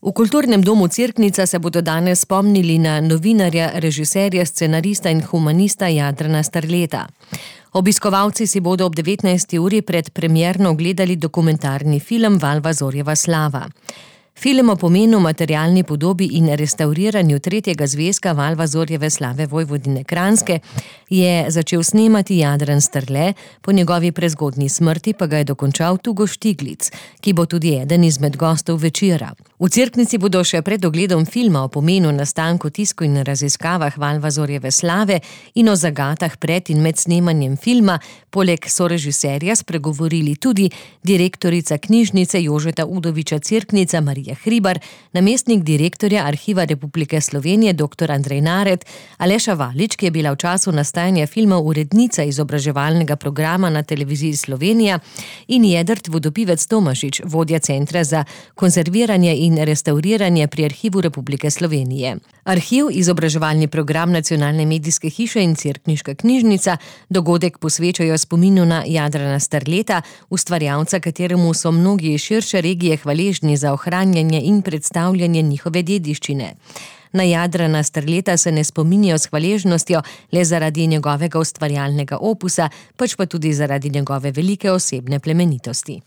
V Kulturnem domu Cerknica se bodo danes spomnili na novinarja, režiserja, scenarista in humanista Jadrana Strleta. Obiskovalci si bodo ob 19. uri pred premierno ogledali dokumentarni film Valvazorjeva slava. Film o pomenu, materialni podobi in restavriranju tretjega zvezka Valvazorjeve slave Vojvodine Kranjske je začel snemati Jadran Strle, po njegovi prezgodnji smrti pa ga je dokončal Tugo Štiglic, ki bo tudi eden izmed gostov večera. V Cerknici bodo še pred ogledom filma o pomenu, nastanku, tisku in raziskavah Valvazorjeve slave in o zagatah pred in med snemanjem filma poleg sorežiserja spregovorili tudi direktorica knjižnice Jožeta Udoviča Cerknica Marija Hribar, namestnik direktorja Arhiva Republike Slovenije dr. Andrej Naret, Aleša Valič, ki je bila v času nastajanja filma urednica izobraževalnega programa na televiziji Slovenija, in Jedrt Vodopivec Tomažič, vodja Centra za konzerviranje in restavriranje pri Arhivu Republike Slovenije. Arhiv, izobraževalni program Nacionalne medijske hiše in Cerkniška knjižnica dogodek posvečajo spominu na Jadrana Strleta, ustvarjalca, kateremu so mnogi iz širše regije hvaležni za ohranjanje in predstavljanje njihove dediščine. Na Jadrana Strleta se ne spominjajo s hvaležnostjo le zaradi njegovega ustvarjalnega opusa, pač pa tudi zaradi njegove velike osebne plemenitosti.